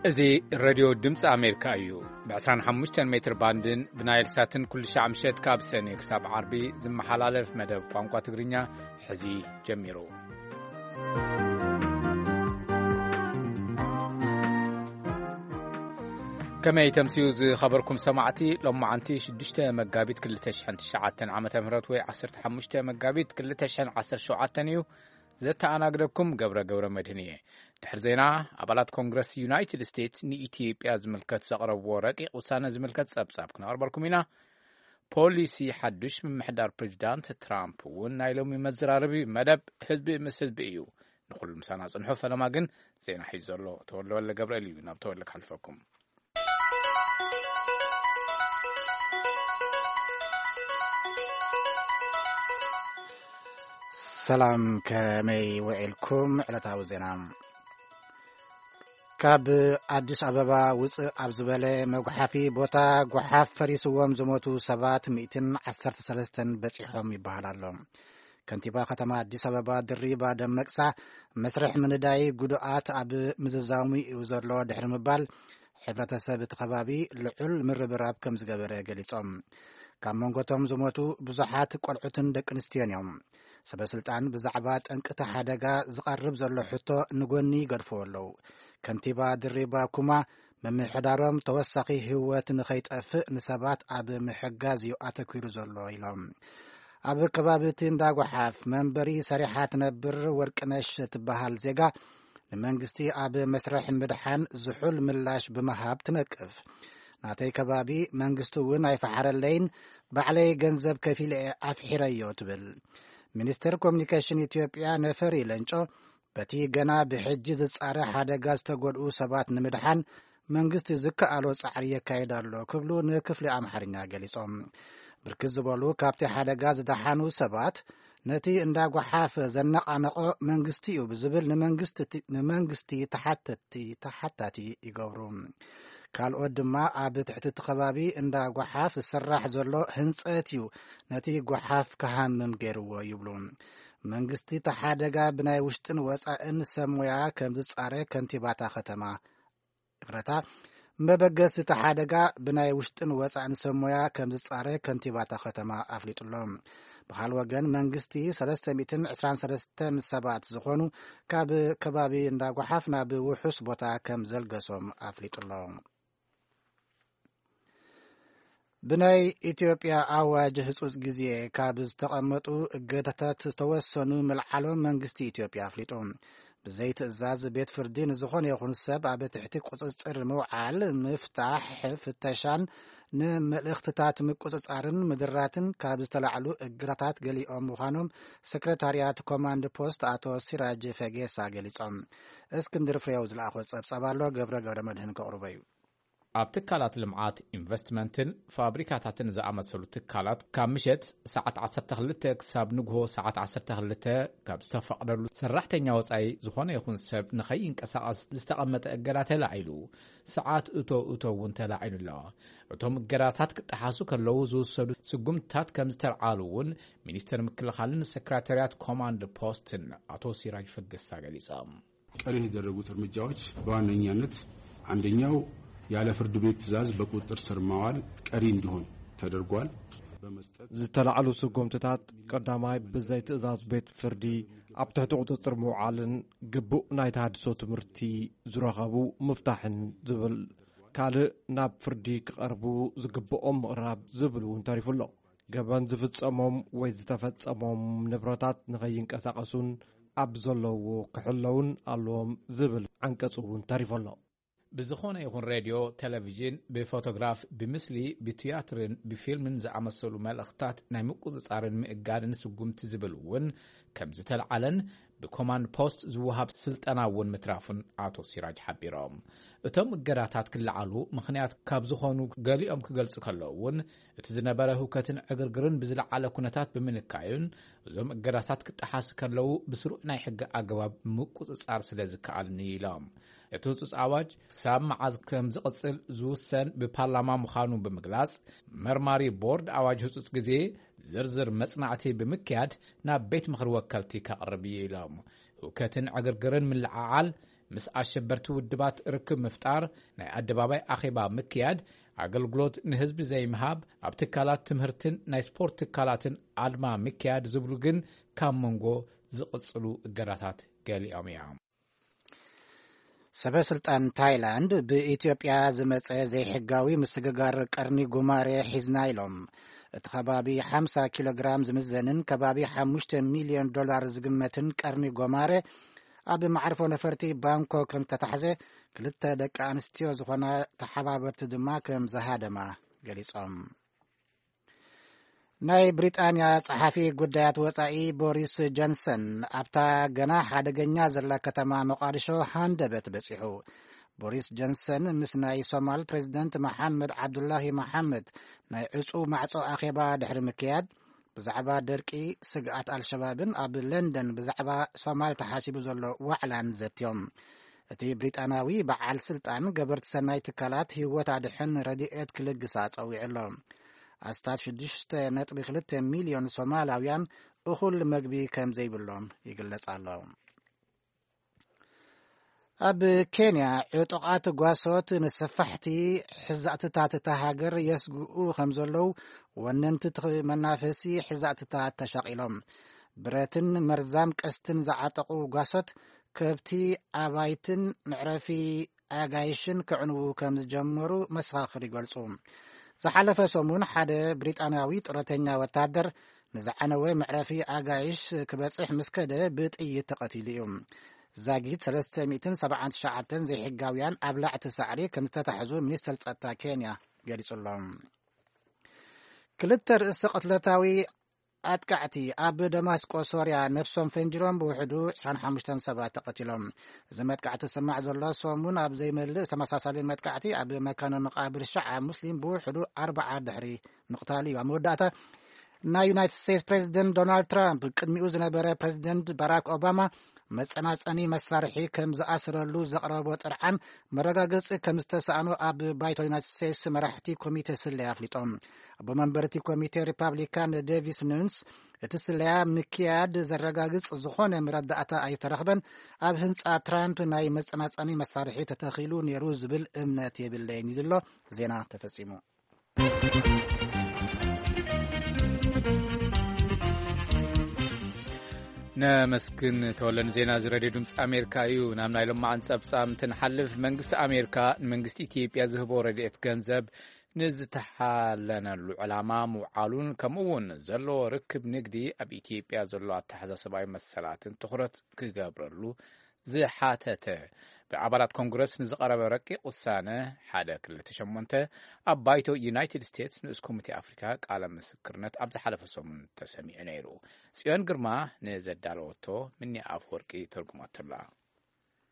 እዚ ሬድዮ ድምፂ ኣሜሪካ እዩ። ብ25 ሜትር ባንድን ብናይል ሳትን ኩሉ ሻዕ ምሸት ካብ ሰኔ ክሳብ ዓርቢ ዝመሓላለፍ መደብ ቋንቋ ትግርኛ ሕዚ ጀሚሩ። ከመይ ተምስዩ ዝኸበርኩም ሰማዕቲ፣ ሎማዓንቲ 6 መጋቢት 2009 ዓመተ ምህረት ወይ 15 መጋቢት 2017 እዩ። ዘተኣናግደኩም ገብረ ገብረ መድህን እየ። ድሕሪ ዜና፣ ኣባላት ኮንግረስ ዩናይትድ ስቴትስ ንኢትዮጵያ ዝምልከት ዘቕረብዎ ረቂቕ ውሳነ ዝምልከት ጸብጻብ ክነቕርበልኩም ኢና። ፖሊሲ ሓዱሽ ምምሕዳር ፕሬዚዳንት ትራምፕ እውን ናይ ሎሚ መዘራረቢ መደብ ህዝቢ ምስ ህዝቢ እዩ። ንኹሉ ምሳና ጽንሑ። ፈለማ ግን ዜና ሒዙ ዘሎ ተወልደ ወልደ ገብርኤል እዩ። ናብ ተወልደ ክሓልፈኩም። ሰላም፣ ከመይ ውዒልኩም? ዕለታዊ ዜና። ካብ ኣዲስ ኣበባ ውፅእ ኣብ ዝበለ መጉሓፊ ቦታ ጓሓፍ ፈሪስዎም ዝሞቱ ሰባት 113 በፂሖም ይበሃል ኣሎ። ከንቲባ ከተማ ኣዲስ ኣበባ ድሪባ ደመቅሳ፣ መስርሕ ምንዳይ ጉዱኣት ኣብ ምዝዛሙ እዩ ዘሎ ድሕሪ ምባል፣ ሕብረተሰብ እቲ ከባቢ ልዑል ምርብራብ ከም ዝገበረ ገሊጾም። ካብ መንጎቶም ዝሞቱ ብዙሓት ቆልዑትን ደቂ ኣንስትዮን እዮም። ሰበ ስልጣን ብዛዕባ ጠንቅቲ ሓደጋ ዝቐርብ ዘሎ ሕቶ ንጎኒ ይገድፍዎ ኣለዉ። ከንቲባ ድሪባ ኩማ፣ ምምሕዳሮም ተወሳኺ ህይወት ንኸይጠፍእ ንሰባት ኣብ ምሕጋዝ እዩ ኣተኲሩ ዘሎ ኢሎም። ኣብ ከባቢ እቲ እንዳ ጓሓፍ መንበሪ ሰሪሓ ትነብር ወርቅነሽ ትበሃል ዜጋ፣ ንመንግስቲ ኣብ መስርሕ ምድሓን ዝሑል ምላሽ ብምሃብ ትነቅፍ። ናተይ ከባቢ መንግስቲ እውን ኣይፈሓረለይን፣ ባዕለይ ገንዘብ ከፊለ እየ ኣፍሒረዮ ትብል። ሚኒስትር ኮሚኒኬሽን ኢትዮጵያ ነፈሪ ለንጮ፣ በቲ ገና ብሕጂ ዝጻረ ሓደጋ ዝተጎድኡ ሰባት ንምድሓን መንግስቲ ዝከኣሎ ጻዕሪ የካይድ ኣሎ ክብሉ ንክፍሊ ኣምሓርኛ ገሊጾም። ብርክት ዝበሉ ካብቲ ሓደጋ ዝደሓኑ ሰባት፣ ነቲ እንዳ ጓሓፍ ዘነቓነቖ መንግስቲ እዩ ብዝብል ንመንግስቲ፣ ንመንግስቲ ተሓተቲ፣ ተሓታቲ ይገብሩ። ካልኦት ድማ ኣብ ትሕቲ እቲ ከባቢ እንዳ ጓሓፍ ዝስራሕ ዘሎ ህንጸት እዩ ነቲ ጓሓፍ ክሃምም ገይርዎ ይብሉ። መንግስቲ እቲ ሓደጋ ብናይ ውሽጥን ወጻእን ሰብ ሞያ ከም ዝጻረ ከንቲባታ ከተማ፣ ይቕረታ፣ መበገሲ እቲ ሓደጋ ብናይ ውሽጥን ወጻእን ሰብ ሞያ ከም ዝጻረ ከንቲባታ ከተማ ኣፍሊጡ ኣሎ። ብኻል ወገን መንግስቲ 323 ሰባት ዝኾኑ ካብ ከባቢ እንዳ ጓሓፍ ናብ ውሑስ ቦታ ከም ዘልገሶም ኣፍሊጡ ኣሎ። ብናይ ኢትዮጵያ ኣዋጅ ህጹጽ ግዜ ካብ ዝተቐመጡ እገዳታት ዝተወሰኑ ምልዓሎም መንግስቲ ኢትዮጵያ ኣፍሊጡ። ብዘይ ትእዛዝ ቤት ፍርዲ ንዝኾነ ይኹን ሰብ ኣብ ትሕቲ ቁጽጽር ምውዓል፣ ምፍታሕ፣ ፍተሻን ንመልእኽትታት ምቁጽጻርን ምድራትን ካብ ዝተላዕሉ እገዳታት ገሊኦም ምዃኖም ሰክረታርያት ኮማንድ ፖስት ኣቶ ሲራጅ ፈጌሳ ገሊጾም። እስክንድር ፍሬው ዝለኣኾ ጸብጻብ ኣሎ፣ ገብረ ገብረ መድህን ከቕርቦ እዩ። ኣብ ትካላት ልምዓት፣ ኢንቨስትመንትን ፋብሪካታትን ዝኣመሰሉ ትካላት ካብ ምሸት ሰዓት 12 ክሳብ ንግሆ ሰዓት 12 ካብ ዝተፈቕደሉ ሰራሕተኛ ወጻኢ ዝኾነ ይኹን ሰብ ንኸይንቀሳቐስ ዝተቐመጠ እገዳ ተላዒሉ፣ ሰዓት እቶ እቶ እውን ተላዒሉ ኣሎ። እቶም እገዳታት ክጠሓሱ ከለዉ ዝውሰዱ ስጉምትታት ከም ዝተልዓሉ እውን ሚኒስትር ምክልኻልን ሰክራታርያት ኮማንድ ፖስትን ኣቶ ሲራጅ ፈገሳ ገሊጾም። ቀሪ የተደረጉት እርምጃዎች በዋነኛነት አንደኛው ያለ ፍርድ ቤት ትዕዛዝ በቁጥጥር ስር ማዋል ቀሪ እንዲሆን ተደርጓል። በመስጠት ዝተላዕሉ ስጉምትታት ቀዳማይ ብዘይ ትእዛዝ ቤት ፍርዲ ኣብ ትሕቲ ቁጽጽር ምውዓልን ግቡእ ናይ ተሃድሶ ትምህርቲ ዝረኸቡ ምፍታሕን ዝብል፣ ካልእ ናብ ፍርዲ ክቐርቡ ዝግብኦም ምቕራብ ዝብል እውን ተሪፉ ኣሎ። ገበን ዝፍጸሞም ወይ ዝተፈጸሞም ንብረታት ንኸይንቀሳቐሱን ኣብ ዘለውዎ ክሕለውን ኣለዎም ዝብል ዓንቀጽ እውን ተሪፉ ኣሎ። ብዝኾነ ይኹን ሬድዮ፣ ቴሌቪዥን፣ ብፎቶግራፍ፣ ብምስሊ፣ ብትያትርን ብፊልምን ዝኣመሰሉ መልእኽታት ናይ ምቁጽጻርን ምእጋድን ስጉምቲ ዝብል እውን ከም ዝተልዓለን ብኮማንድ ፖስት ዝወሃብ ስልጠና እውን ምትራፉን ኣቶ ሲራጅ ሓቢሮም። እቶም እገዳታት ክለዓሉ ምኽንያት ካብ ዝኾኑ ገሊኦም ክገልጹ ከለዉ እውን፣ እቲ ዝነበረ ህውከትን ዕግርግርን ብዝለዓለ ኩነታት ብምንካዩን፣ እዞም እገዳታት ክጠሓስ ከለዉ ብስሩዕ ናይ ሕጊ ኣገባብ ምቁጽጻር ስለ ዝከኣልን ኢሎም። እቲ ህጹጽ ኣዋጅ ክሳብ መዓዝ ከም ዝቕጽል ዝውሰን ብፓርላማ ምዃኑ ብምግላጽ፣ መርማሪ ቦርድ ኣዋጅ ህጹጽ ግዜ ዝርዝር መጽናዕቲ ብምክያድ ናብ ቤት ምኽሪ ወከልቲ ከቕርብ እዩ ኢሎም። ህውከትን ዕግርግርን ምልዓዓል ምስ ኣሸበርቲ ውድባት ርክብ ምፍጣር፣ ናይ ኣደባባይ ኣኼባ ምክያድ፣ ኣገልግሎት ንህዝቢ ዘይምሃብ፣ ኣብ ትካላት ትምህርትን ናይ ስፖርት ትካላትን ኣድማ ምክያድ ዝብሉ ግን ካብ መንጎ ዝቕጽሉ እገዳታት ገሊኦም እዮም። ሰበ ስልጣን ታይላንድ ብኢትዮጵያ ዝመጸ ዘይሕጋዊ ምስግጋር ቀርኒ ጉማሬ ሒዝና ኢሎም። እቲ ከባቢ ሓምሳ ኪሎ ግራም ዝምዘንን ከባቢ ሓሙሽተ ሚልዮን ዶላር ዝግመትን ቀርኒ ጎማሬ ኣብ መዓርፎ ነፈርቲ ባንኮክ ከም ዝተታሕዘ፣ ክልተ ደቂ ኣንስትዮ ዝኾና ተሓባበርቲ ድማ ከም ዝሃደማ ገሊጾም። ናይ ብሪጣንያ ጸሓፊ ጉዳያት ወጻኢ ቦሪስ ጆንሰን ኣብታ ገና ሓደገኛ ዘላ ከተማ መቃድሾ ሃንደበት በጺሑ። ቦሪስ ጆንሰን ምስ ናይ ሶማል ፕሬዚደንት መሓመድ ዓብዱላሂ መሓመድ ናይ ዕጹ ማዕጾ ኣኼባ ድሕሪ ምክያድ፣ ብዛዕባ ደርቂ፣ ስግኣት ኣልሸባብን ኣብ ለንደን ብዛዕባ ሶማል ተሓሲቡ ዘሎ ዋዕላን ዘትዮም። እቲ ብሪጣናዊ በዓል ስልጣን ገበርቲ ሰናይ ትካላት ህይወት ኣድሕን ረድኤት ክልግሳ ጸዊዑ ኣሎ። ኣስታት ሽዱሽተ ነጥቢ ክልተ ሚልዮን ሶማላውያን እኹል መግቢ ከም ዘይብሎም ይግለጽ ኣሎ። ኣብ ኬንያ ዕጡቓት ጓሶት ንሰፋሕቲ ሕዛእትታት እታ ሃገር የስግኡ ከም ዘለዉ ወነንቲ እቲ መናፈሲ ሕዛእትታት ተሻቒሎም። ብረትን መርዛም ቀስትን ዝዓጠቑ ጓሶት ከብቲ፣ ኣባይትን መዕረፊ ኣጋይሽን ከዕንዉ ከም ዝጀመሩ መሰኻኽር ይገልጹ። ዝሓለፈ ሰሙን ሓደ ብሪጣንያዊ ጡረተኛ ወታደር ንዝዓነወ መዕረፊ ኣጋይሽ ክበጽሕ ምስ ከደ ብጥይት ተቐቲሉ እዩ። ዛጊት ሰለስተ ሚእትን ሰብዓን ትሽዓተን ዘይሕጋውያን ኣብላዕቲ ሳዕሪ ከም ዝተታሕዙ ሚኒስተር ጸጥታ ኬንያ ገሊጹ ኣሎ። ክልተ ርእሰ ቅትለታዊ ኣጥቃዕቲ ኣብ ደማስቆ ሶርያ ነፍሶም ፈንጅሮም ብውሕዱ ዕስራን ሓሙሽተን ሰባት ተቐቲሎም። እዚ መጥቃዕቲ ዝስማዕ ዘሎ ሰሙን ኣብ ዘይመልእ ተመሳሳሊ መጥቃዕቲ ኣብ መካነ መቃብር ሸዓ ሙስሊም ብውሕዱ ኣርባዓ ድሕሪ ምቕታል እዩ። ኣብ መወዳእታ ናይ ዩናይትድ ስቴትስ ፕሬዚደንት ዶናልድ ትራምፕ ቅድሚኡ ዝነበረ ፕሬዚደንት ባራክ ኦባማ መጸናጸኒ መሳርሒ ከም ዝኣስረሉ ዘቕረቦ ጥርዓን መረጋገጺ ከም ዝተሳእኖ ኣብ ባይቶ ዩናይትድ ስቴትስ መራሕቲ ኮሚቴ ስለያ ኣፍሊጦም። ኣቦ መንበር እቲ ኮሚቴ ሪፓብሊካን ዴቪስ ኑንስ፣ እቲ ስለያ ምክያድ ዘረጋግጽ ዝኾነ መረዳእታ ኣይተረኽበን፣ ኣብ ህንጻ ትራምፕ ናይ መጸናጸኒ መሳርሒ ተተኺሉ ነይሩ ዝብል እምነት የብለይን ኢሉ ኣሎ። ዜና ተፈጺሙ። ነመስግን ተወለ። ንዜና እዚ ሬድዮ ድምፂ ኣሜሪካ እዩ። ናብ ናይ ሎማዓን ፀብፃብ እንትንሓልፍ፣ መንግስቲ ኣሜሪካ ንመንግስቲ ኢትዮጵያ ዝህቦ ረድኤት ገንዘብ ንዝተሓለነሉ ዕላማ ምውዓሉን ከምኡ እውን ዘለዎ ርክብ ንግዲ ኣብ ኢትዮጵያ ዘሎ ኣተሓሳስባዊ መሰላትን ትኹረት ክገብረሉ ዝሓተተ ብኣባላት ኮንግረስ ንዝቐረበ ረቂቕ ውሳነ ሓደ ክልተ ሸሞንተ ኣብ ባይቶ ዩናይትድ ስቴትስ ንኡስ ኮሚቴ ኣፍሪካ ቃለ ምስክርነት ኣብ ዝሓለፈ ሰሙን ተሰሚዑ ነይሩ። ጽዮን ግርማ ንዘዳለወቶ ምኒ ኣፍወርቂ ተርጉማቶላ።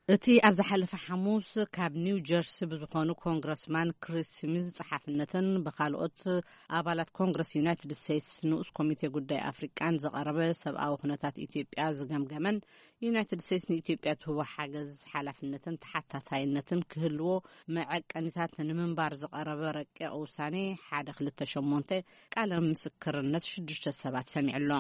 እቲ ኣብ ዝሓለፈ ሓሙስ ካብ ኒው ጀርሲ ብዝኾኑ ኮንግረስማን ክሪስ ስሚዝ ጸሓፍነትን ብኻልኦት ኣባላት ኮንግረስ ዩናይትድ ስቴትስ ንኡስ ኮሚቴ ጉዳይ ኣፍሪቃን ዝቐረበ ሰብኣዊ ኩነታት ኢትዮጵያ ዝገምገመን ዩናይትድ ስቴትስ ንኢትዮጵያ ትህቦ ሓገዝ ሓላፍነትን ተሓታታይነትን ክህልዎ መዐቀኒታት ንምንባር ዝቐረበ ረቂቕ ውሳኔ ሓደ ክልተ ሸሞንተ ቃለ ምስክርነት ሽዱሽተ ሰባት ሰሚዑ ኣሎ።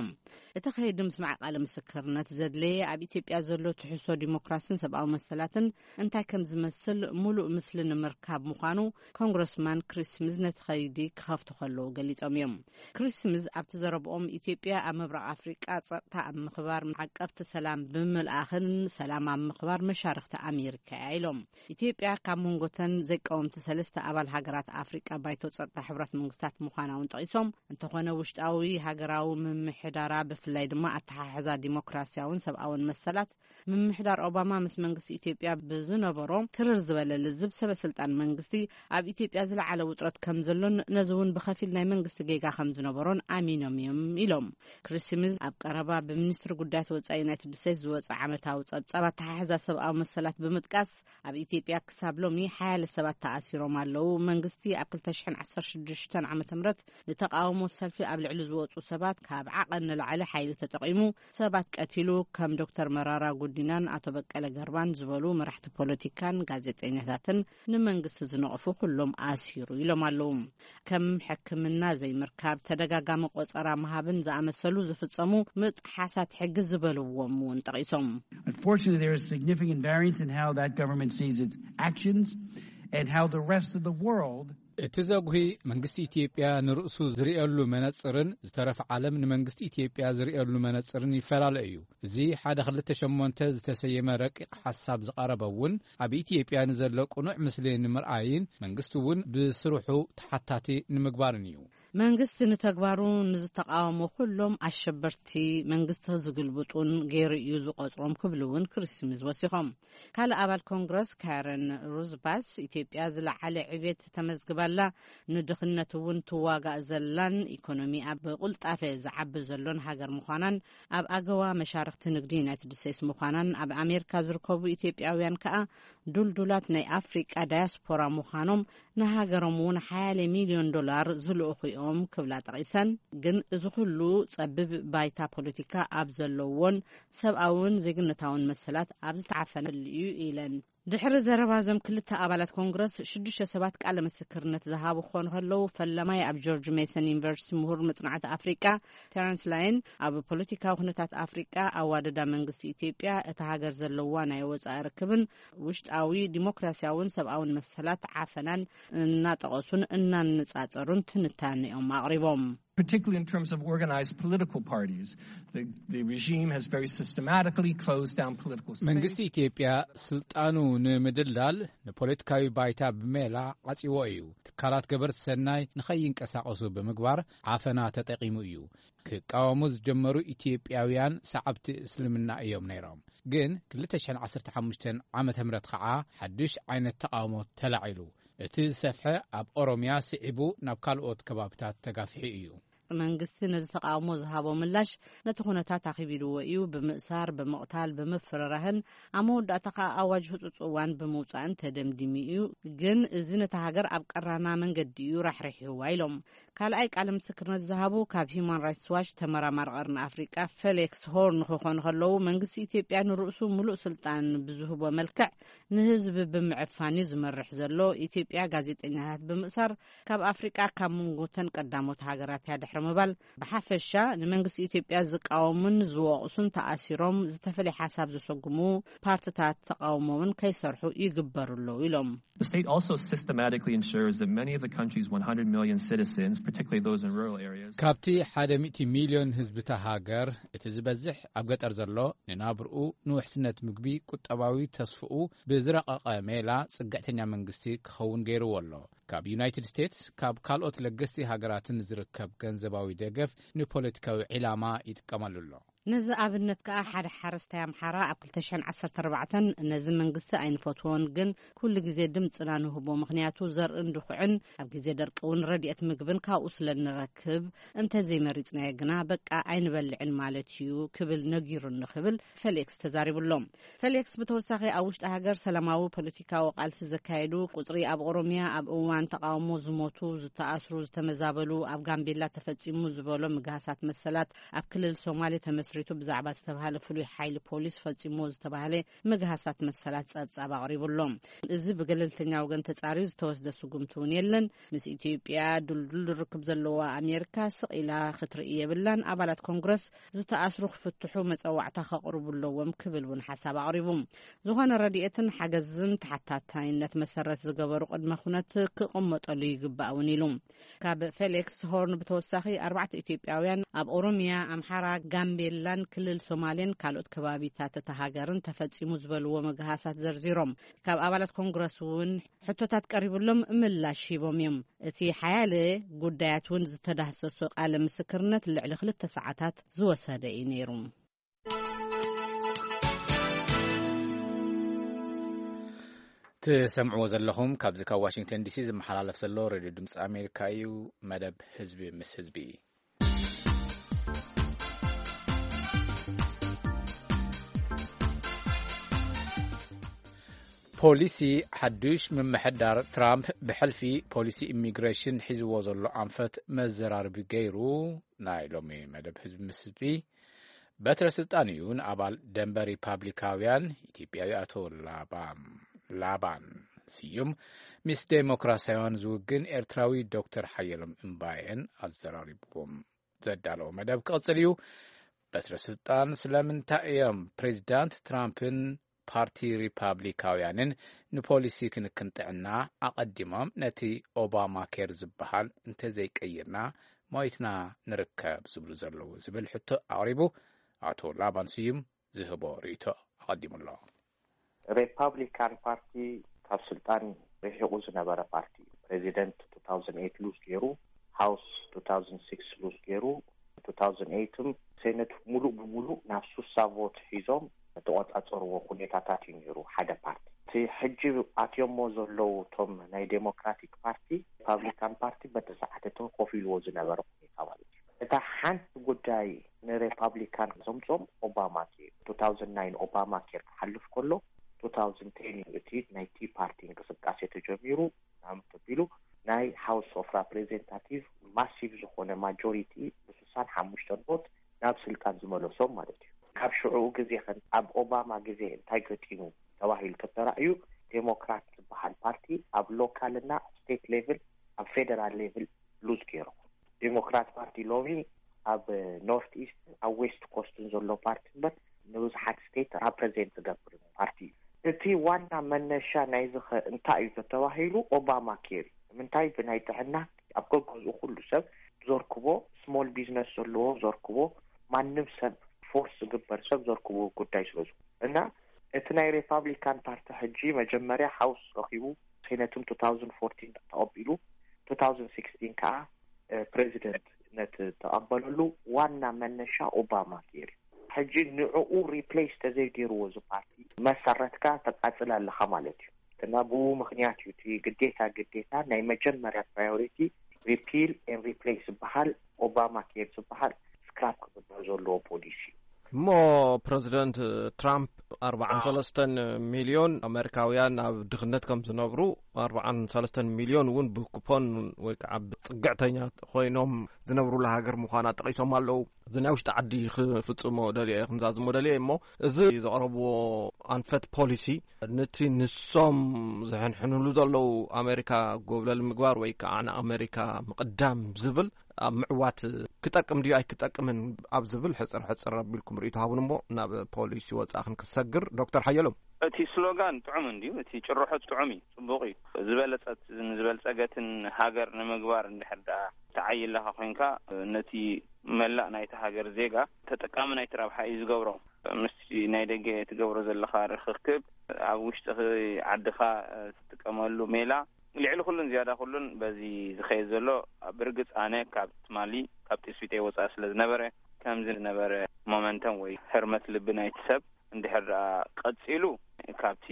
እቲ ከይዲ ምስማዕ ቃለ ምስክርነት ዘድለየ ኣብ ኢትዮጵያ ዘሎ ትሕዝቶ ዲሞክራሲን ሰብኣዊ መሰላትን እንታይ ከም ዝመስል ሙሉእ ምስሊ ንምርካብ ምዃኑ ኮንግረስማን ክሪስ ስሚዝ ነቲ ከይዲ ክኸፍቱ ከለዉ ገሊጾም እዮም። ክሪስ ስሚዝ ኣብቲ ዘረብኦም ኢትዮጵያ ኣብ ምብራቕ ኣፍሪቃ ጸጥታ ኣብ ምኽባር፣ ዓቀብቲ ሰላም ብምልኣኽን ሰላም ኣብ ምኽባር መሻርኽቲ ኣሜሪካ እያ ኢሎም። ኢትዮጵያ ካብ መንጎተን ዘይቀወምቲ ሰለስተ ኣባል ሃገራት ኣፍሪቃ ባይቶ ጸጥታ ሕብረት መንግስታት ምዃና እውን ጠቒሶም፣ እንተኾነ ውሽጣዊ ሃገራዊ ምምሕዳራ ብፍላይ ድማ ኣተሓሕዛ ዲሞክራሲያውን ሰብኣውን መሰላት ምምሕዳር ኦባማ ምስ መንግስቲ ኢትዮጵያ ብዝነበሮ ትርር ዝበለ ልዝብ ሰበ ስልጣን መንግስቲ ኣብ ኢትዮጵያ ዝለዓለ ውጥረት ከም ዘሎን ነዚ እውን ብኸፊል ናይ መንግስቲ ጌጋ ከም ዝነበሮን ኣሚኖም እዮም ኢሎም። ክሪስ ስሚዝ ኣብ ቀረባ ብሚኒስትሪ ጉዳያት ወጻኢ ዩናይትድ ስቴትስ ዝወጸ ዓመታዊ ጸብጻብ ኣተሓሕዛ ሰብኣዊ መሰላት ብምጥቃስ ኣብ ኢትዮጵያ ክሳብ ሎሚ ሓያለ ሰባት ተኣሲሮም ኣለዉ። መንግስቲ ኣብ ክልተ ሽሕን ዓሰርተ ሽዱሽተን ዓመተ ምህረት ንተቓውሞ ሰልፊ ኣብ ልዕሊ ዝወጹ ሰባት ካብ ዓቐን ንላዕሊ ሓይሊ ተጠቒሙ ሰባት ቀቲሉ፣ ከም ዶክተር መራራ ጉዲናን ኣቶ በቀለ ገርባን ዝበሉ መራሕቲ ፖለቲካን ጋዜጠኛታትን ንመንግስቲ ዝነቕፉ ኩሎም ኣሲሩ ኢሎም ኣለዉ። ከም ሕክምና ዘይምርካብ፣ ተደጋጋሚ ቆጸራ ምሃብን ዝኣመሰሉ ዝፍጸሙ ምጥሓሳት ሕጊ ዝበልዎም እውን ጠቒሶም። Unfortunately, there is significant variance in how that government sees its actions and how the rest of the world. እቲ ዘጉሂ መንግስቲ ኢትዮጵያ ንርእሱ ዝርእየሉ መነጽርን ዝተረፈ ዓለም ንመንግስቲ ኢትዮጵያ ዝርእየሉ መነጽርን ይፈላለ እዩ። እዚ ሓደ ክልተ ሸሞንተ ዝተሰየመ ረቂቕ ሓሳብ ዝቐረበ እውን ኣብ ኢትዮጵያ ንዘሎ ቅኑዕ ምስሊ ንምርኣይን መንግስቲ እውን ብስርሑ ተሓታቲ ንምግባርን እዩ። መንግስቲ ንተግባሩ ንዝተቃወሙ ኩሎም ኣሸበርቲ፣ መንግስቲ ዝግልብጡን ገይሩ እዩ ዝቆጽሮም ክብሉ እውን ክሪስ ስሚዝ ወሲኾም። ካልእ ኣባል ኮንግረስ ካረን ሩዝባስ፣ ኢትዮጵያ ዝለዓለ ዕቤት ተመዝግባላ፣ ንድኽነት እውን ትዋጋእ ዘላን ኢኮኖሚ ኣብ ቁልጣፈ ዝዓቢ ዘሎን ሃገር ምዃናን ኣብ ኣገዋ መሻርክቲ ንግዲ ዩናይትድ ስቴትስ ምዃናን ኣብ ኣሜሪካ ዝርከቡ ኢትዮጵያውያን ከኣ ዱልዱላት ናይ ኣፍሪቃ ዳያስፖራ ምዃኖም ንሃገሮም እውን ሓያለ ሚልዮን ዶላር ዝልእኹ እዮም ክብላ ጠቒሰን፣ ግን እዚ ኩሉ ጸቢብ ባይታ ፖለቲካ ኣብ ዘለዎን ሰብኣውን ዜግነታውን መሰላት ኣብ ዝተዓፈነሉ እዩ ኢለን። ድሕሪ ዘረባ እዞም ክልተ ኣባላት ኮንግረስ፣ ሽዱሽተ ሰባት ቃለ ምስክርነት ዝሃቡ ክኾኑ ከለዉ፣ ፈለማይ ኣብ ጆርጅ ሜሰን ዩኒቨርሲቲ ምሁር መጽናዕቲ ኣፍሪቃ ተረንስ ላይን፣ ኣብ ፖለቲካዊ ኩነታት ኣፍሪቃ፣ ኣዋደዳ መንግስቲ ኢትዮጵያ፣ እታ ሃገር ዘለዋ ናይ ወጻኢ ርክብን ውሽጣዊ ዲሞክራሲያውን ሰብኣውን መሰላት ዓፈናን እናጠቐሱን እናነጻጸሩን ትንታኔኦም ኣቕሪቦም። Particularly in terms of organized political parties, the, the regime has very systematically closed down political space. መንግስቲ ኢትዮጵያ ስልጣኑ ንምድልዳል ንፖለቲካዊ ባይታ ብሜላ ዓጺዎ እዩ። ትካላት ገበርቲ ሰናይ ንኸይንቀሳቐሱ ብምግባር ዓፈና ተጠቒሙ እዩ። ክቃወሙ ዝጀመሩ ኢትዮጵያውያን ሰዓብቲ እስልምና እዮም ነይሮም። ግን ክልተ ሽሕን ዓሰርተ ሓሙሽተን ዓመተ ምህረት ኸዓ ሓድሽ ዓይነት ተቓውሞ ተላዒሉ። እቲ ዝሰፍሐ ኣብ ኦሮምያ ስዒቡ ናብ ካልኦት ከባብታት ተጋፊሑ እዩ። መንግስቲ ነዚ ተቓውሞ ዝሃቦ ምላሽ ነቲ ኩነታት ኣኺቢልዎ እዩ። ብምእሳር፣ ብምቕታል፣ ብምፍርራህን ኣብ መወዳእታ ኸኣ ኣዋጅ ህጹጽ እዋን ብምውጻእን ተደምዲሙ እዩ። ግን እዚ ነታ ሃገር ኣብ ቀራና መንገዲ እዩ ራሕሪሕዋ ኢሎም። ካልኣይ ቃለ ምስክርነት ዝሃቡ ካብ ሂዩማን ራይትስ ዋች ተመራማሪ ቀርኒ ኣፍሪቃ ፌሊክስ ሆርን ክኾኑ ከለዉ፣ መንግስቲ ኢትዮጵያ ንርእሱ ምሉእ ስልጣን ብዝህቦ መልክዕ ንህዝቢ ብምዕፋን እዩ ዝመርሕ ዘሎ። ኢትዮጵያ ጋዜጠኛታት ብምእሳር ካብ ኣፍሪቃ ካብ መንጎተን ቀዳሞት ሃገራት እያ ድሕሪ ምባል፣ ብሓፈሻ ንመንግስቲ ኢትዮጵያ ዝቃወሙን ዝወቕሱን ተኣሲሮም፣ ዝተፈለየ ሓሳብ ዘሰጉሙ ፓርትታት ተቃውሞ እውን ከይሰርሑ ይግበሩ ኣለዉ ኢሎም። The state also systematically ensures that many of the country's one hundred million citizens, particularly those in rural areas, ካብቲ ሓደ ሚእቲ ሚልዮን ህዝቢ እታ ሃገር፣ እቲ ዝበዝሕ ኣብ ገጠር ዘሎ፣ ንናብርኡ፣ ንውሕስነት ምግቢ፣ ቁጠባዊ ተስፍኡ ብዝረቐቐ ሜላ ጽግዕተኛ መንግስቲ ክኸውን ገይርዎ ኣሎ። ካብ ዩናይትድ ስቴትስ፣ ካብ ካልኦት ለገስቲ ሃገራትን ዝርከብ ገንዘባዊ ደገፍ ንፖለቲካዊ ዒላማ ይጥቀመሉ ኣሎ። ነዚ ኣብነት ከኣ ሓደ ሓረስታይ ኣምሓራ ኣብ ክልተ ሽሕን ዓሰርተ ኣርባዕተን፣ ነዚ መንግስቲ ኣይንፈትዎን፣ ግን ኩሉ ግዜ ድምጽና ንህቦ፣ ምኽንያቱ ዘርእን ድኹዕን ኣብ ግዜ ደርቂ እውን ረድኤት ምግብን ካብኡ ስለ ንረክብ፣ እንተ ዘይመሪጽናዮ ግና በቃ ኣይንበልዕን ማለት እዩ ክብል ነጊሩኒ ክብል ፌሊክስ ተዛሪቡ ኣሎ። ፌሊክስ ብተወሳኺ ኣብ ውሽጢ ሃገር ሰላማዊ ፖለቲካዊ ቃልሲ ዘካየዱ ቁጽሪ ኣብ ኦሮምያ ኣብ እዋን ተቃውሞ ዝሞቱ፣ ዝተኣስሩ፣ ዝተመዛበሉ፣ ኣብ ጋምቤላ ተፈጺሙ ዝበሎ ምግሃሳት መሰላት፣ ኣብ ክልል ሶማሌ ተመስሪቱ ብዛዕባ ዝተባሃለ ፍሉይ ሓይሊ ፖሊስ ፈጺሞ ዝተባሃለ ምግሃሳት መሰላት ጸብጻብ ኣቕሪቡ ኣሎ። እዚ ብገለልተኛ ወገን ተጻርዩ ዝተወስደ ስጉምቲ እውን የለን። ምስ ኢትዮጵያ ድልዱል ርክብ ዘለዋ ኣሜሪካ ስቕ ኢላ ክትርኢ የብላን። ኣባላት ኮንግረስ ዝተኣስሩ ክፍትሑ መጸዋዕታ ከቕርቡ ኣለዎም ክብል እውን ሓሳብ ኣቕሪቡ። ዝኾነ ረድኤትን ሓገዝን ተሓታታይነት መሰረት ዝገበሩ ቅድመ ኩነት ክቕመጠሉ ይግባእ እውን ኢሉ። ካብ ፌሊክስ ሆርን ብተወሳኺ ኣርባዕተ ኢትዮጵያውያን ኣብ ኦሮሚያ፣ ኣምሓራ፣ ጋምቤላን ክልል ሶማሌን ካልኦት ከባቢታት እታ ሃገርን ተፈጺሙ ዝበልዎ ምግሃሳት ዘርዚሮም፣ ካብ ኣባላት ኮንግረስ እውን ሕቶታት ቀሪብሎም ምላሽ ሂቦም እዮም። እቲ ሓያለ ጉዳያት እውን ዝተዳህሰሶ ቃለ ምስክርነት ልዕሊ ክልተ ሰዓታት ዝወሰደ እዩ ነይሩ። ትሰምዕዎ ዘለኹም ካብዚ ካብ ዋሽንግተን ዲሲ ዝመሓላለፍ ዘሎ ሬድዮ ድምፂ ኣሜሪካ እዩ። መደብ ህዝቢ ምስ ህዝቢ። ፖሊሲ ሓዱሽ ምምሕዳር ትራምፕ ብሕልፊ ፖሊሲ ኢሚግሬሽን ሒዝዎ ዘሎ ኣንፈት መዘራርቢ ገይሩ። ናይ ሎሚ መደብ ህዝቢ ምስ ህዝቢ በትረ ስልጣን እዩ ንኣባል ደንበ ሪፓብሊካውያን ኢትዮጵያዊ ኣቶ ላባ-፣ ላባን ስዩም፣ ምስ ዴሞክራሲያውያን ዝውግን ኤርትራዊ ዶክተር ሓየሎም እምባየን ኣዘራሪብዎም። ዘዳለዎ መደብ ክቕጽል እዩ። በትረ ስልጣን ስለምንታይ እዮም ፕሬዚዳንት ትራምፕን ፓርቲ ሪፓብሊካውያንን ንፖሊሲ ክንክን ጥዕና ኣቐዲሞም ነቲ ኦባማ ኬር ዝበሃል እንተዘይቀይርና ሞይትና ንርከብ ዝብሉ ዘለዉ ዝብል ሕቶ ኣቕሪቡ። ኣቶ ላባን ስዩም ዝህቦ ርእይቶ ኣቐዲሙ ኣሎ። ሪፓብሊካን ፓርቲ ካብ ስልጣን ርሒቑ ዝነበረ ፓርቲ እዩ። ፕሬዚደንት two thousand eight ሉዝ ገይሩ፣ ሃውስ two thousand six ሉዝ ገይሩ፣ two thousand eight ም ሴነት ሙሉእ ብሙሉእ ናብ ሱሳ ቮት ሒዞም ተቆጻጸርዎ ኩኔታታት እዩ ነይሩ ሓደ ፓርቲ። እቲ ሕጂ ኣትዮሞ ዘለዉ እቶም ናይ ዴሞክራቲክ ፓርቲ፣ ሪፓብሊካን ፓርቲ በቲ ሰዓት እቲ ኮፍ ኢልዎ ዝነበረ ኩኔታ ማለት እዩ። እታ ሓንቲ ጉዳይ ንሪፓብሊካን ዘምጾም ኦባማ ኬር፣ two thousand nine ኦባማ ኬር ክሓልፍ ከሎ two thousand ten እዩ እቲ ናይ ቲ ፓርቲ እንቅስቃሴ ተጀሚሩ። ናም ተቢሉ ናይ ሃውስ ኦፍ ራፕሬዘንታቲቭ ማሲቭ ዝኾነ ማጆሪቲ ብስሳን ሓሙሽተን ቮት ናብ ስልጣን ዝመለሶም ማለት እዩ። ካብ ሽዑኡ ግዜ ከን ኣብ ኦባማ ግዜ እንታይ ገጢሙ ተባሂሉ ተተራእዩ፣ ዴሞክራት ዝበሃል ፓርቲ ኣብ ሎካል እና ኣብ ስቴት ሌቭል ኣብ ፌደራል ሌቭል ሉዝ ገይሩ። ዴሞክራት ፓርቲ ሎሚ ኣብ ኖርት ኢስትን ኣብ ዌስት ኮስትን ዘሎ ፓርቲ እምበር ንብዙሓት ስቴት ራፕሬዘንት ዝገብር ፓርቲ እዩ። እቲ ዋና መነሻ ናይዚ ኸ እንታይ እዩ ተተባሂሉ? ኦባማ ኬር እዩ። ንምንታይ? ብናይ ጥዕና ኣብ ገገዝኡ ኩሉ ሰብ ዘርክቦ፣ ስሞል ቢዝነስ ዘለዎ ዘርክቦ፣ ማንም ሰብ ፎርስ ዝግበር ሰብ ዘርክቦ ጉዳይ ስለ ዝኾነ እና እቲ ናይ ሪፓብሊካን ፓርቲ ሕጂ መጀመርያ ሃውስ ረኺቡ ሴነትን two thousand fourteen ተቐቢሉ two thousand sixteen ከዓ ፕሬዚደንትነት ተቐበለሉ ዋና መነሻ ኦባማ ኬር እዩ። ሕጂ ንዕኡ ሪፕሌስ ተዘይገይርዎ እዚ ፓርቲ መሰረትካ ተቃፅል ኣለኻ ማለት እዩ። እና ብኡ ምክንያት እዩ እቲ ግዴታ ግዴታ ናይ መጀመርያ ፕራዮሪቲ ሪፒል ኤን ሪፕሌስ ዝበሃል ኦባማ ኬር ዝበሃል ስክራፕ ክግበር ዘለዎ ፖሊሲ እዩ። እሞ ፕረዚደንት ትራምፕ ኣርባዓን ሰለስተን ሚልዮን ኣሜሪካውያን ኣብ ድኽነት ከም ዝነብሩ፣ ኣርባዓን ሰለስተን ሚልዮን እውን ብኩፖን ወይ ከዓ ብፅግዕተኛ ኮይኖም ዝነብሩላ ሃገር ምዃና ጠቒሶም ኣለዉ። እዚ ናይ ውሽጢ ዓዲ ክፍፅሞ ደልዮ እየ፣ ክምዛዝሞ ደልዮ እየ። እሞ እዚ ዘቕረብዎ ኣንፈት ፖሊሲ ነቲ ንሶም ዝሕንሕንሉ ዘለዉ ኣሜሪካ ጎብለል ምግባር ወይ ከዓ ንኣሜሪካ ምቕዳም ዝብል ኣብ ምዕዋት ክጠቅም ድዩ ኣይክጠቅምን ኣብ ዝብል ሕፅር ሕፅር ኣቢልኩም ርእይቶ ሃቡን እሞ ናብ ፖሊሲ ወፃኢ ክንክሰግር። ዶክተር ሓየሎም። እቲ ስሎጋን ጥዑም እንድዩ፣ እቲ ጭርሖ ጥዑም እዩ፣ ፅቡቕ እዩ። ዝበለፀት ንዝበልፀገትን ሃገር ንምግባር እንድሕር ደኣ ትዓይ ኣለኻ ኮይንካ ነቲ መላእ ናይቲ ሃገር ዜጋ ተጠቃሚ ናይቲ ረብሓ እዩ ዝገብሮ። ምስቲ ናይ ደገ ትገብሮ ዘለኻ ርኽክብ ኣብ ውሽጢ ዓድኻ ትጥቀመሉ ሜላ ልዕሊ ኩሉን ዝያዳ ኩሉን በዚ ዝኸየድ ዘሎ ብርግጽ ኣነ ካብ ትማሊ ካብ ትስቢተይ ወጻኢ ስለ ዝነበረ ከምዚ ዝነበረ ሞመንተም ወይ ህርመት ልቢ ናይቲ ሰብ እንድሕር ደኣ ቀጺሉ ካብቲ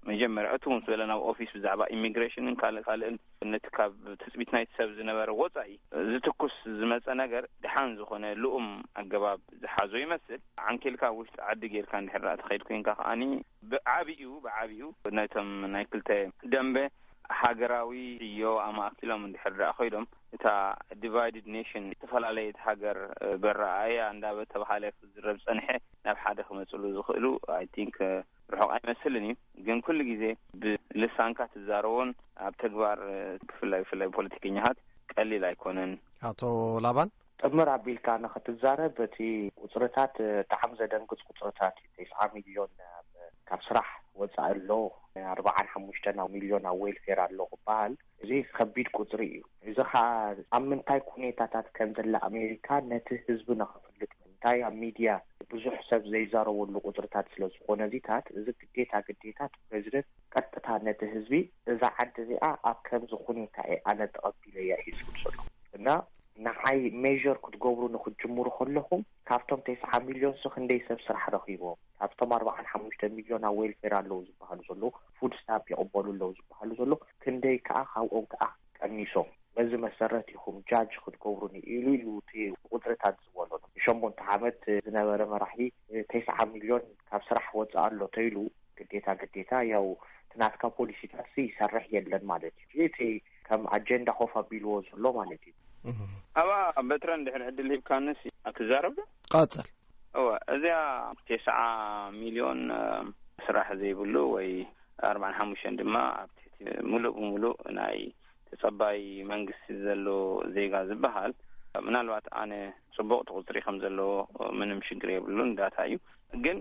መጀመርያ እቱ ምስ በለ ናብ ኦፊስ ብዛዕባ ኢሚግሬሽንን ካልእ ካልእን ነቲ ካብ ትጽቢት ናይቲ ሰብ ዝነበረ ወጻኢ ዝትኩስ ዝመጸ ነገር ደሓን ዝኾነ ልኡም ኣገባብ ዝሓዞ ይመስል። ዓንኬልካ ኣብ ውሽጢ ዓዲ ጌርካ እንድሕር ደኣ ትኸይድ ኮይንካ ከኣኒ ብዓቢኡ ብዓቢኡ ነቶም ናይ ክልተ ደንበ ሃገራዊ ዕዮ ኣማእኪሎም እንድሕር ደኣ ኮይዶም እታ ዲቫይድድ ኔሽን ዝተፈላለየት ሃገር በረኣያ እንዳበተባሃለ ክዝረብ ዝጸንሐ ናብ ሓደ ክመጽሉ ዝኽእሉ I think ርሑቕ ኣይመስልን እዩ። ግን ኩሉ ግዜ ብልሳንካ ትዛረቦን ኣብ ተግባር ብፍላይ ብፍላይ ፖለቲከኛታት ቀሊል ኣይኮነን። ኣቶ ላባን ጥምር ኣቢልካ ንኽትዛረብ እቲ ቁፅርታት ብጣዕሚ ዘደንግፅ ቁፅርታት እዩ። ተስዓ ሚልዮን ካብ ስራሕ ወፃኢ ኣሎ፣ ኣርባዓን ሓሙሽተን ሚልዮን ኣብ ዌልፌር ኣሎ ክበሃል እዚ ከቢድ ቁፅሪ እዩ። እዚ ከዓ ኣብ ምንታይ ኩኔታታት ከም ዘላ ኣሜሪካ ነቲ ህዝቢ ንኽፍልጥ እንታይ ኣብ ሚድያ ብዙሕ ሰብ ዘይዛረበሉ ቁፅርታት ስለ ዝኾነ እዚታት እዚ ግዴታ ግዴታ ፕሬዚደንት ቀጥታ ነቲ ህዝቢ እዛ ዓዲ እዚኣ ኣብ ከምዚ ኩኔታ እየ ኣነ ተቐቢለያ እዩ ዝብል ዘሎ እና ንዓይ ሜር ክትገብሩ ንክትጅምሩ ከለኹም ካብቶም ተስዓ ሚልዮን ስ ክንደይ ሰብ ስራሕ ረኺቦም ካብቶም ኣርባዓን ሓሙሽተ ሚልዮን ኣብ ዌልፌር ኣለዉ ዝበሃሉ ዘለዉ ፉድ ስታምፕ ይቕበሉ ኣለዉ ዝበሃሉ ዘለዉ ክንደይ ከዓ ካብኦም ከዓ ቀኒሶም በዚ መሰረት ኢኹም ጃጅ ክትገብሩኒ ኢሉ ኢሉ እቲ ቁፅርታት ዝበሎ ንሸሞንተ ዓመት ዝነበረ መራሒ ተስዓ ሚልዮን ካብ ስራሕ ወፅእ ኣሎ ተይሉ ግዴታ ግዴታ ያው ትናትካ ፖሊሲታት ይሰርሕ የለን ማለት እዩ እቲ ከም ኣጀንዳ ኮፍ ኣቢልዎ ዘሎ ማለት እዩ። ኣባ በትረ እንድሕር ዕድል ሂብካንስ ኣትዛረብ ዶ? ቀፅል። እወ፣ እዚኣ ተስዓ ሚልዮን፣ እ፣ ስራሕ ዘይብሉ ወይ ኣርባዓን ሓሙሽተን ድማ ኣብ ትሕቲ ምሉእ ብምሉእ ናይ ተጸባይ መንግስቲ ዘሎ ዜጋ ዝበሃል፣ ምናልባት ኣነ ጽቡቕ ቁጽሪ ከም ዘለዎ ምንም ሽግር የብሉን፣ ዳታ እዩ። ግን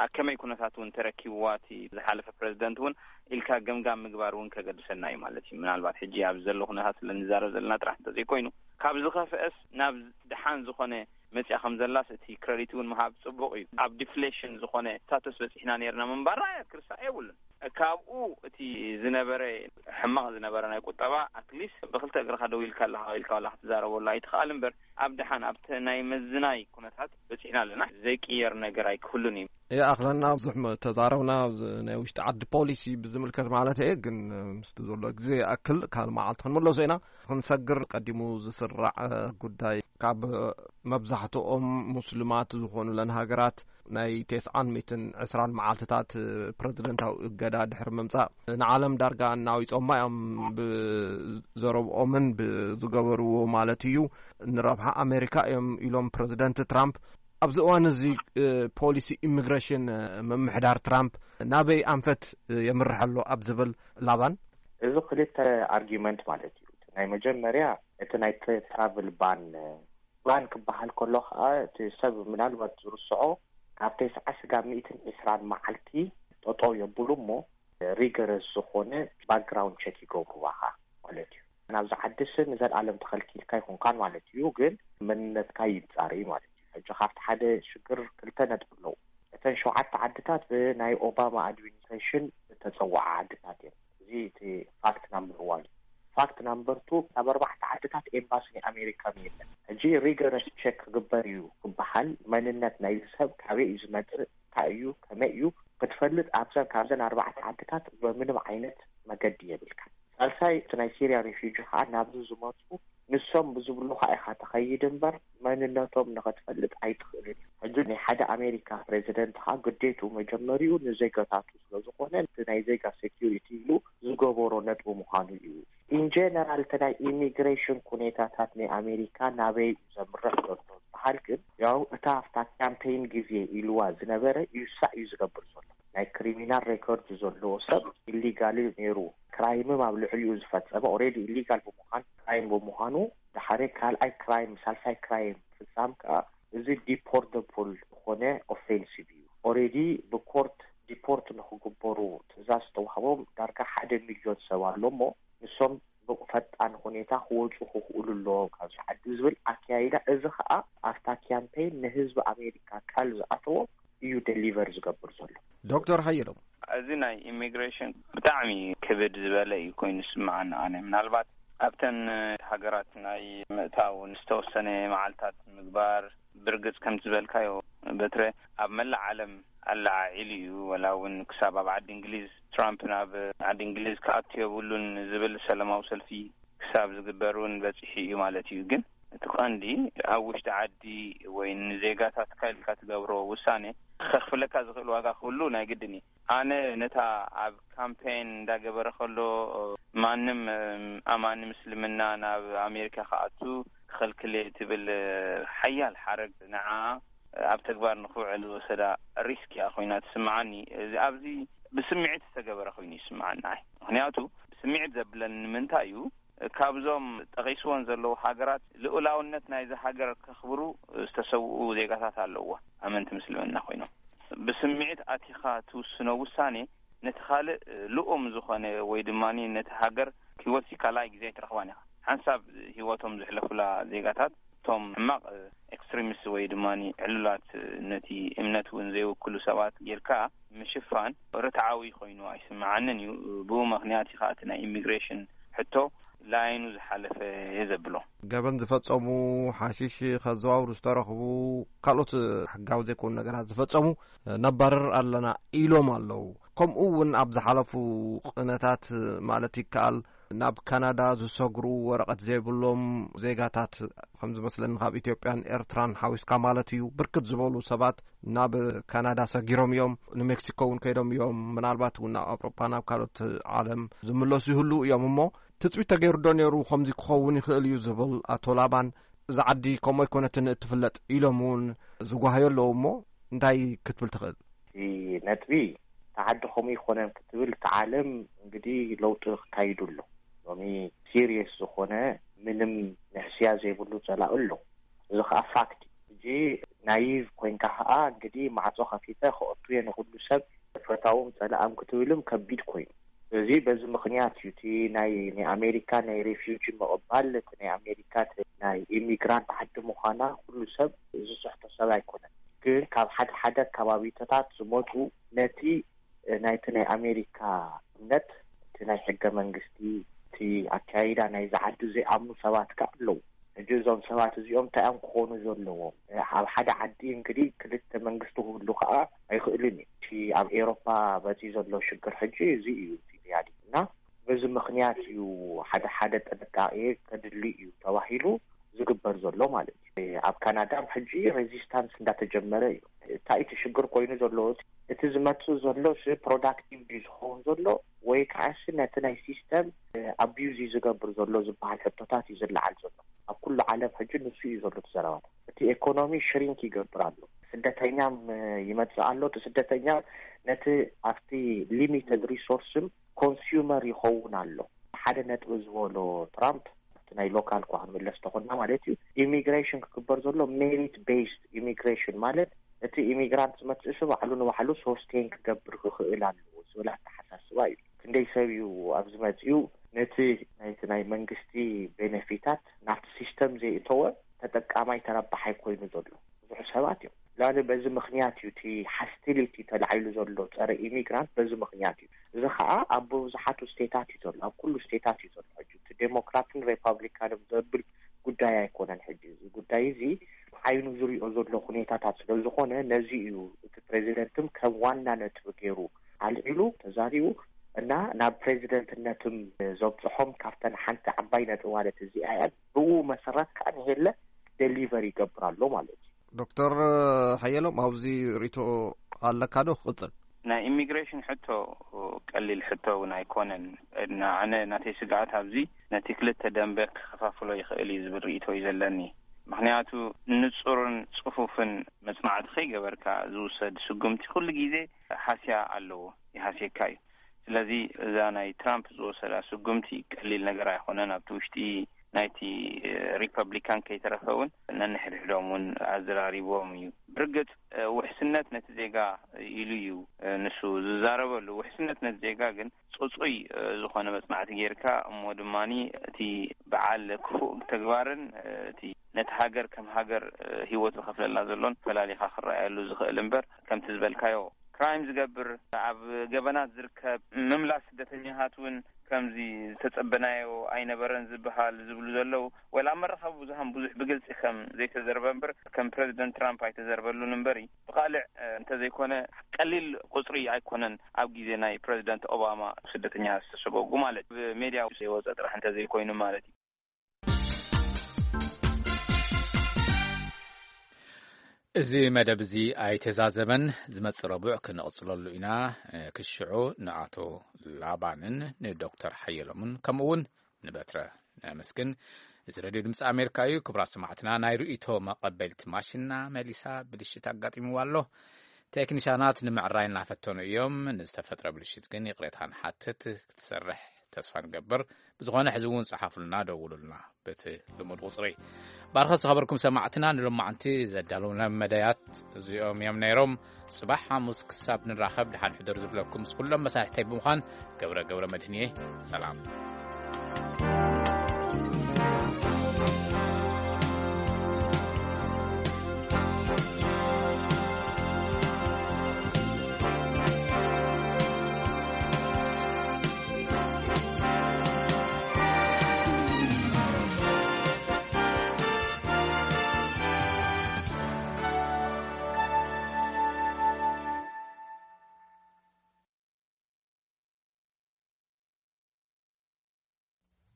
ኣብ ከመይ ኩነታት እውን ተረኪብዋ እቲ ዝሓለፈ ፕረዚደንት እውን ኢልካ ገምጋም ምግባር እውን ከገድሰና እዩ ማለት እዩ። ምናልባት ሕጂ ኣብ ዘሎ ኩነታት ስለ ንዛረብ ዘለና ጥራሕ እንተዘይኮይኑ፣ ካብ ዝኸፍአስ ናብ ድሓን ዝኾነ መጽያ ከም ዘላስ እቲ ክረዲት እውን ምሃብ ጽቡቕ እዩ። ኣብ ዲፍሌሽን ዝኾነ ስታተስ በጺሕና ነርና ምንባርና ክርሳዕ የብሉን። ካብኡ እቲ ዝነበረ ሕማቕ ዝነበረ ናይ ቁጠባ ኣትሊስት ብክልተ እግርኻ ደው ኢልካ ኣለኻ ኢልካ ዋላ ክትዛረበሉ ኣይትኽኣል እምበር፣ ኣብ ድሓን ኣብቲ ናይ ምዝናይ ኩነታት በጺሕና ኣለና። ዘይቅየር ነገር ኣይክህሉን እዩ። ይኣኽለና፣ ብዙሕ መ-፣ ተዛረብና። ኣብዚ ናይ ውሽጢ ዓዲ ፖሊሲ ብዝምልከት ማለት እየ፣ ግን ምስቲ ዘሎ ግዜ ይኣክል ካልእ መዓልቲ ክንምለሶ ኢና። ክንሰግር ቀዲሙ ዝስራዕ፣ እ፣ ጉዳይ ካብ መብዛሕትኦም ሙስሊማት ዝኾኑለን ሃገራት ናይ ተስዓን ሚእትን ዕስራን መዓልትታት ፕረዚደንታዊ እገዳ ድሕሪ ምምጻእ ንዓለም ዳርጋ እናዊጾማ እዮም። ብዘረብኦምን ብዝገበርዎ ማለት እዩ፣ ንረብሓ ኣሜሪካ እዮም ኢሎም ፕረዚደንት ትራምፕ። ኣብዚ እዋን እዚ፣ እ፣ ፖሊሲ ኢሚግሬሽን፣ እ፣ ምምሕዳር ትራምፕ ናበይ ኣንፈት፣ እ፣ የምርሕ ኣሎ ኣብ ዝብል ላባን? እዚ ክልተ ኣርጊመንት ማለት እዩ። ናይ መጀመርያ እቲ ናይ ትራቭል ባን፣ ባን ክበሃል ከሎ ከዓ እቲ ሰብ ምናልባት ዝርስዖ ካብ ተስዓ ስጋብ ሚእትን ዕስራን መዓልቲ ጠጠው የብሉ እሞ ሪገረስ ዝኾነ ባክግራውንድ ቸክ ይገብሩዋኻ ማለት እዩ። ናብዚ ዓድስ ንዘለኣለም ተኸልኪልካ ይኹንካን ማለት እዩ፣ ግን መንነትካ ይጻረይ ማለት እዩ። ሕጂ ካብቲ ሓደ ሽግር ክልተ ነጥቢ ኣለዉ። እተን ሸውዓተ ዓድታት ብናይ ኦባማ ኣድሚኒስትሬሽን ዝተጸውዓ ዓድታት እየን። እዚ እቲ ፋክት ናምበር ዋን እዩ። ፋክት ናምበር ቱ፣ ኣብ ኣርባዕተ ዓድታት ኤምባሲ ናይ ኣሜሪካ የለን። ሕጂ ሪገረስ ቸክ ክግበር እዩ ክበሃል፣ መንነት ናይዚ ሰብ ካበይ እዩ ዝመጽእ፣ እንታይ እዩ፣ ከመይ እዩ ክትፈልጥ ኣብዘን፣ ካብዘን ኣርባዕተ ዓድታት ብምንም ዓይነት መገዲ የብልካ። ሳልሳይ፣ እቲ ናይ ሲርያ ሬፊጂ ከዓ ናብዚ ዝመፁ ንሶም ብዝብሉኻ ኢኻ ትኸይድ እምበር መንነቶም ንኽትፈልጥ ኣይትኽእልን እዩ። ሕጂ ናይ ሓደ ኣሜሪካ ፕሬዚደንት ከዓ ግዴቱ መጀመሪኡ ንዜጋታቱ ስለ ዝኾነ እቲ ናይ ዜጋ ሴኪሪቲ ኢሉ ዝገበሮ ነጥቢ ምዃኑ እዩ። ኢን ጀነራል እቲ ናይ ኢሚግሬሽን ኩኔታታት ናይ ኣሜሪካ ናበይ እዩ ዘምርሕ ዘሎ ዝበሃል ግን ያው እታ ኣብታ ካምፔይን ግዜ ኢልዋ ዝነበረ ይሳእ እዩ ዝገብር ዘሎ። ናይ ክሪሚናል ሬኮርድ ዘለዎ ሰብ ኢሊጋል እዩ ነይሩ፣ ክራይምም ኣብ ልዕሊኡ ዝፈጸመ ኦልሬዲ ኢሊጋል ብምዃን ክራይም ብምዃኑ ድሓረ ካልኣይ ክራይም ሳልሳይ ክራይም ፍጻም ከዓ እዚ ዲፖርተብል ዝኾነ ኦፌንሲቭ እዩ። ኦልሬዲ ብኮርት ዲፖርት ንክግበሩ ትእዛዝ ዝተዋህቦም ዳርጋ ሓደ ሚልዮን ሰብ ኣሎ እሞ ንሶም ብፈጣን ሁኔታ ክወፁ ክኽእሉ ኣለዎም ካብዚ ዓዲ ዝብል ኣካያይዳ፣ እዚ ከዓ ኣብታ ካምፔይን ንህዝቢ ኣሜሪካ ቃል ዝኣተዎ እዩ ደሊቨር ዝገብር ዘሎ። ዶክተር ሓየሎም፣ እዚ ናይ ኢሚግሬሽን ብጣዕሚ ክብድ ዝበለ እዩ ኮይኑ ዝስምዓኒ። ኣነ ምናልባት ኣብተን ሃገራት ናይ ምእታው ዝተወሰነ መዓልታት ምግባር ብርግጽ ከም ዝበልካዮ በትረ ኣብ መላእ ዓለም ኣለዓዒሉ እዩ። ወላ እውን ክሳብ ኣብ ዓዲ እንግሊዝ ትራምፕ ናብ ዓዲ እንግሊዝ ክኣቱ የብሉን ዝብል ሰላማዊ ሰልፊ ክሳብ ዝግበር እውን በጺሑ እዩ ማለት እዩ። ግን እቲ ቀንዲ ኣብ ውሽጢ ዓዲ ወይ ንዜጋታትካ ኢልካ ትገብሮ ውሳኔ ከኽፍለካ ዝኽእል ዋጋ ክህሉ ናይ ግድን እዩ። ኣነ ነታ ኣብ ካምፔን እንዳገበረ ከሎ ማንም ኣማኒ ምስልምና ናብ ኣሜሪካ ክኣቱ ክኸልክል እየ ትብል ሓያል ሓረግ ንዓ ኣብ ተግባር ንክውዕል ዝወሰዳ ሪስክ እያ ኮይና ትስምዓኒ። እዚ ኣብዚ ብስምዒት ዝተገበረ ኮይኑ ይስምዓኒ። ኣይ ምክንያቱ ብስምዒት ዘብለኒ ንምንታይ እዩ፣ ካብዞም ጠቒስዎን ዘለዉ ሃገራት ልኡላውነት ናይዚ ሃገር ከኽብሩ ዝተሰውኡ ዜጋታት ኣለዎ። ኣመንቲ ምስልምና ኮይኖም ብስምዒት ኣቲኻ ትውስኖ ውሳኔ ነቲ ካልእ ልኡም ዝኾነ ወይ ድማ ነቲ ሃገር ክወሲ ካልኣይ ግዜ ኣይትረኽባን ኢኻ። ሓንሳብ ህይወቶም ዝሕለፉላ ዜጋታት እቶም ሕማቕ ኤክስትሪሚስት ወይ ድማ ዕሉላት ነቲ እምነት እውን ዘይውክሉ ሰባት ጌርካ ምሽፋን ርትዓዊ ኮይኑ ኣይስምዓንን እዩ። ብኡ ምኽንያት እዩ ከዓ እቲ ናይ ኢሚግሬሽን ሕቶ ላይኑ ዝሓለፈ እየ ዘብሎ። ገበን ዝፈጸሙ፣ ሓሽሽ ከዘዋውሩ ዝተረኽቡ፣ ካልኦት ሕጋዊ ዘይኮኑ ነገራት ዝፈጸሙ ነባርር ኣለና ኢሎም ኣለዉ። ከምኡ እውን ኣብ ዝሓለፉ ቅነታት ማለት ይከኣል ናብ ካናዳ ዝሰግሩ ወረቐት ዘይብሎም ዜጋታት ከም ዝመስለኒ ካብ ኢትዮጵያን ኤርትራን ሓዊስካ ማለት እዩ ብርክት ዝበሉ ሰባት ናብ ካናዳ ሰጊሮም እዮም። ንሜክሲኮ እውን ከይዶም እዮም። ምናልባት እውን ናብ ኣውሮጳ ናብ ካልኦት ዓለም ዝምለሱ ይህልዉ እዮም። እሞ ትጽቢት ተገይሩ ዶ ነይሩ ከምዚ ክኸውን ይኽእል እዩ ዝብል ኣቶ ላባን እዛ ዓዲ ከምኡ ኣይኮነትን እትፍለጥ ኢሎም እውን ዝጓሃዩ ኣለዉ። እሞ እንታይ ክትብል ትኽእል? እቲ ነጥቢ፣ እታ ዓዲ ከምኡ ኣይኮነን ክትብል፣ እታ ዓለም እንግዲህ ለውጢ ክካይዱ ኣሎ። ሎሚ ሲሪየስ ዝኾነ ምንም ንሕስያ ዘይብሉ ጸላኢ ኣሎ። እዚ ኸኣ ፋክት እዩ። ሕጂ ናይቭ ኮይንካ ኸኣ እንግዲህ ማዕጾ ከፊተ ክኣቱ እየ ንኹሉ ሰብ ፈታዎም ጸላእም ክትብልም ከቢድ ኮይኑ። ስለዚ በዚ ምኽንያት እዩ እቲ ናይ ናይ ኣሜሪካ ናይ ሬፊጂ ምቕባል፣ እቲ ናይ ኣሜሪካ ናይ ኢሚግራንት ዓዲ ምዃና ኩሉ ሰብ ዝስሕቶ ሰብ ኣይኮነን። ግን ካብ ሓደ ሓደ ከባቢታት ዝመፁ ነቲ ናይቲ ናይ ኣሜሪካ እምነት፣ እቲ ናይ ሕገ መንግስቲ፣ እቲ ኣካይዳ ናይዚ ዓዲ ዘይኣምኑ ሰባት ከ ኣለዉ። ሕጂ እዞም ሰባት እዚኦም እንታይ እዮም ክኾኑ ዘለዎም? ኣብ ሓደ ዓዲ እንግዲህ ክልተ መንግስቲ ክህሉ ከዓ ኣይኽእልን እዩ። እቲ ኣብ ኤሮፓ በፂ ዘሎ ሽግር ሕጂ እዚ እዩ፣ እቲ ሪያሊቲ። እና በዚ ምኽንያት እዩ ሓደ ሓደ ጥንቃቄ ከድሊ እዩ ተባሂሉ ዝግበር ዘሎ ማለት እዩ። ኣብ ካናዳ ሕጂ ሬዚስታንስ እንዳተጀመረ እዩ። እንታይ እቲ ሽግር ኮይኑ ዘሎ? እቲ ዝመፅእ ዘሎ ፕሮዳክቲቭ ድዩ ዝኸውን ዘሎ፣ ወይ ከዓሲ ነቲ ናይ ሲስተም ኣቢዩዝ እዩ ዝገብር ዘሎ ዝበሃል ሕቶታት እዩ ዝለዓል ዘሎ። ኣብ ኩሉ ዓለም ሕጂ ንሱ እዩ ዘሎ እቲ ዘረባታት። እቲ ኢኮኖሚ ሽሪንክ ይገብር ኣሎ። ስደተኛ ይመጽእ ኣሎ። እቲ ስደተኛ ነቲ ኣብቲ ሊሚትድ ሪሶርስም ኮንሱመር ይኸውን ኣሎ። ሓደ ነጥቢ ዝበሎ ትራምፕ፣ ኣብቲ ናይ ሎካል እኳ ክንምለስ ተኾንና ማለት እዩ፣ ኢሚግሬሽን ክግበር ዘሎ ሜሪት ቤስድ ኢሚግሬሽን ማለት እቲ ኢሚግራንት ዝመጽእ ሰብ ባዕሉ ንባዕሉ ሶስቴን ክገብር ክኽእል ኣለዎ ዝብል ኣተሓሳስባ እዩ። ክንደይ ሰብ እዩ ኣብዚ መጺኡ ነቲ ናይቲ ናይ መንግስቲ ቤነፊታት ናብቲ ሲስተም ዘይእተወ ተጠቃማይ ተረባሓይ ኮይኑ ዘሎ? ብዙሕ ሰባት እዮም። ላለ በዚ ምኽንያት እዩ እቲ ሃስቲሊቲ ተላዒሉ ዘሎ ጸረ ኢሚግራንት በዚ ምኽንያት እዩ። እዚ ኸዓ ኣብ ብዙሓቱ ስቴታት እዩ ዘሎ፣ ኣብ ኩሉ ስቴታት እዩ ዘሎ። ሕጂ እቲ ዴሞክራትን ሪፓብሊካንን ዘብል ጉዳይ ኣይኮነን። ሕጂ እዚ ጉዳይ እዚ ዓይኑ ዝሪኦ ዘሎ ኩኔታታት ስለ ዝኾነ ነዚ እዩ እቲ ፕሬዚደንትም ከም ዋና ነጥቢ ገይሩ ኣልዒሉ ተዛሪቡ እና ናብ ፕሬዚደንትነትም ዘብፅሖም ካብተን ሓንቲ ዓባይ ነጥቢ ማለት እዚኣ እያ። ብኡ መሰረት ከዓ ንሄለ ደሊቨር ይገብር ኣሎ ማለት እዩ። ዶክተር ሓየሎም ኣብዚ ርእይቶ ኣለካ ዶ? ክቕጽል። ናይ ኢሚግሬሽን ሕቶ ቀሊል ሕቶ እውን ኣይኮነን። ንኣነ ናተይ ስግኣት ኣብዚ ነቲ ክልተ ደንበ ክኸፋፍሎ ይኽእል እዩ ዝብል ርእይቶ እዩ ዘለኒ። ምኽንያቱ ንጹርን ጽፉፍን መጽናዕቲ ከይገበርካ ዝውሰድ ስጉምቲ ኩሉ ግዜ ሃስያ ኣለዎ፣ ይሃስየካ እዩ። ስለዚ እዛ ናይ ትራምፕ ዝወሰዳ ስጉምቲ ቀሊል ነገር ኣይኮነን። ኣብቲ ውሽጢ ናይቲ ሪፐብሊካን ከይተረፈ እውን ነንሕድሕዶም እውን ኣዘራሪቦም እዩ። ብርግጽ ውሕስነት ነቲ ዜጋ ኢሉ እዩ ንሱ ዝዛረበሉ። ውሕስነት ነቲ ዜጋ ግን ጽጹይ ዝኾነ መጽናዕቲ ጌርካ እሞ ድማኒ እቲ በዓል ክፉእ ተግባርን እቲ ነቲ ሃገር ከም ሃገር ህይወት ዝኸፍለላ ዘሎን ፈላሊኻ ክረኣየሉ ዝኽእል እምበር ከምቲ ዝበልካዮ ክራይም ዝገብር ኣብ ገበናት ዝርከብ ምምላስ ስደተኛታት እውን ከምዚ ዝተጸበናዮ ኣይነበረን ዝበሃል ዝብሉ ዘለዉ ወላ ኣብ መራኸቢ ብዙሃን ብዙሕ ብግልጺ ከም ዘይተዘርበ እምበር ከም ፕረዚደንት ትራምፕ ኣይተዘርበሉን እምበር ብኻልዕ እንተዘይኮነ ቀሊል ቁጽሪ ኣይኮነን ኣብ ግዜ ናይ ፕረዚደንት ኦባማ ስደተኛ ዝተሰጎጉ ማለት ብሜድያ ዘይወፀ ጥራሕ እንተዘይኮይኑ ማለት እዩ። እዚ መደብ እዚ ኣይተዛዘመን። ዝመጽእ ረቡዕ ክንቕጽለሉ ኢና። ክሽዑ ንኣቶ ላባንን ንዶክተር ሓየሎምን ከምኡ እውን ንበትረ ነመስግን። እዚ ሬድዮ ድምፂ ኣሜሪካ እዩ። ክቡራት ሰማዕትና፣ ናይ ርእይቶ መቐበልቲ ማሽንና መሊሳ ብልሽት ኣጋጢምዋ ኣሎ። ቴክኒሻናት ንምዕራይ እናፈተኑ እዮም። ንዝተፈጥረ ብልሽት ግን ይቕሬታ ንሓትት። ክትሰርሕ ተስፋ ንገብር። ብዝኾነ ሕዚ እውን ጸሓፉልና፣ ደውሉልና በቲ ልሙድ ቁጽሪ። ባርኸ ዝተኸበርኩም ሰማዕትና፣ ንሎማዕንቲ ዘዳለውና መደያት እዚኦም እዮም ነይሮም። ጽባሕ ሓሙስ ክሳብ ንራኸብ ደሓን ሕደሩ ዝብለኩም ምስ ኩሎም መሳርሕተይ ብምዃን ገብረ ገብረ መድህንየ ሰላም።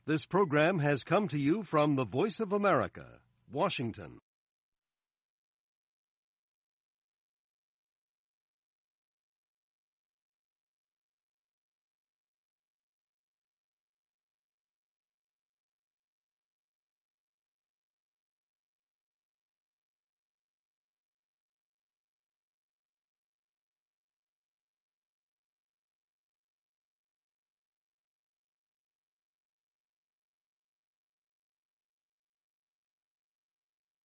This program has come to you from the Voice of America, Washington.